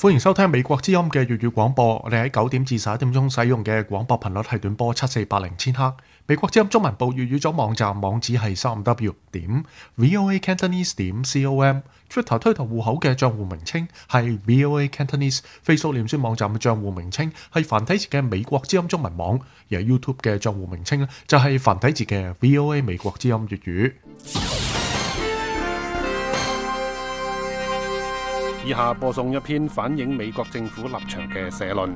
歡迎收聽美國之音嘅粵語廣播。我哋喺9點至11點鐘使用嘅廣播頻率係短波7480千赫。美國之音中文部粵語組網站網址係3w.voacantonese.com。Twitter 推特戶口嘅賬戶名稱係 VOA Cantonese。Facebook 臉書網站嘅賬戶名稱係繁體字嘅美國之音中文網，而 YouTube 嘅賬戶名稱咧就係繁體字嘅 VOA 美國之音粵語。以下播送一篇反映美國政府立場嘅社論。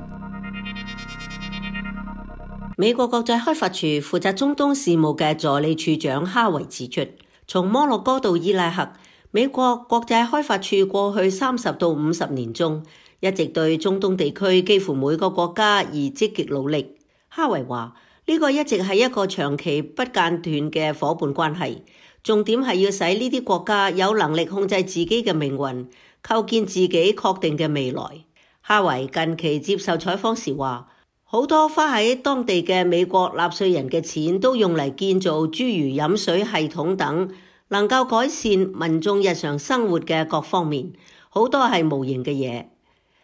美國國際開發處負責中東事務嘅助理處長哈維指出，從摩洛哥到伊拉克，美國國際開發處過去30到50年中，一直對中東地區幾乎每個國家而積極努力。哈維話：呢個一直係一個長期不間斷嘅夥伴關係，重點係要使呢啲國家有能力控制自己嘅命運，構建自己確定嘅未來。哈維近期接受採訪時話，好多花喺當地嘅美國納稅人嘅錢都用嚟建造諸如飲水系統等能夠改善民眾日常生活嘅各方面，好多係無形嘅嘢。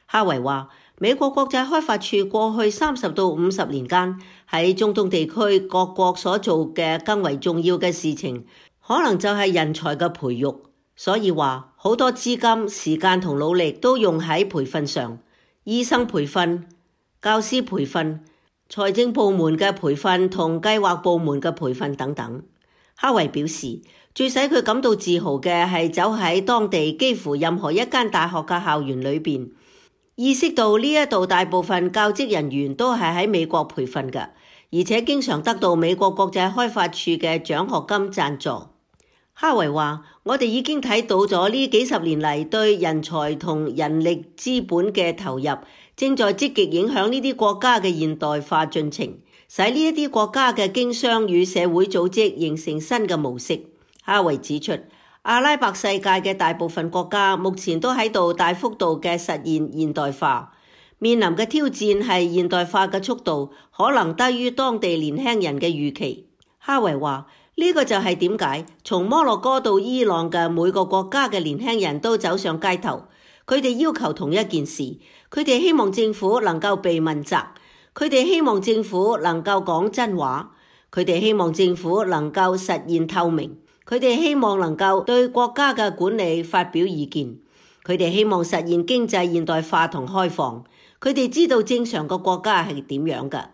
哈維話，美國國際開發處過去30到50年間喺中東地區各國所做嘅更為重要嘅事情，可能就係人才嘅培育。所以話好多資金、時間同努力都用喺培訓上，醫生培訓、教師培訓、財政部門嘅培訓同計劃部門嘅培訓等等。哈維表示，最使佢感到自豪嘅係走喺當地幾乎任何一間大學嘅校園裏邊，意識到呢一度大部分教職人員都係喺美國培訓嘅，而且經常得到美國國際開發處嘅獎學金贊助。哈維話：我哋已經睇到咗呢幾十年嚟對人才同人力資本嘅投入，正在積極影響呢啲國家嘅現代化進程，使呢一啲國家嘅經商與社會組織形成新嘅模式。哈維指出，阿拉伯世界嘅大部分國家目前都喺度大幅度嘅實現現代化，面臨嘅挑戰係現代化嘅速度可能低於當地年輕人嘅預期。哈維話：呢個就係點解從摩洛哥到伊朗嘅每個國家嘅年輕人都走上街頭，佢哋要求同一件事，佢哋希望政府能夠被問責，佢哋希望政府能夠講真話，佢哋希望政府能夠實現透明，佢哋希望能夠對國家嘅管理發表意見，佢哋希望實現經濟現代化同開放，佢哋知道正常個國家係點樣㗎，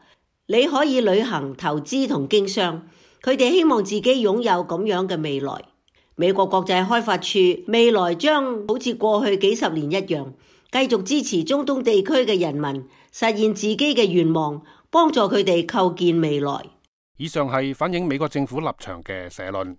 你可以旅行、投資同經商。佢哋希望自己擁有咁樣嘅未來。美國國際開發處未來將好似過去幾十年一樣，繼續支持中東地區嘅人民實現自己嘅願望，幫助佢哋構建未來。以上係反映美國政府立場嘅社論。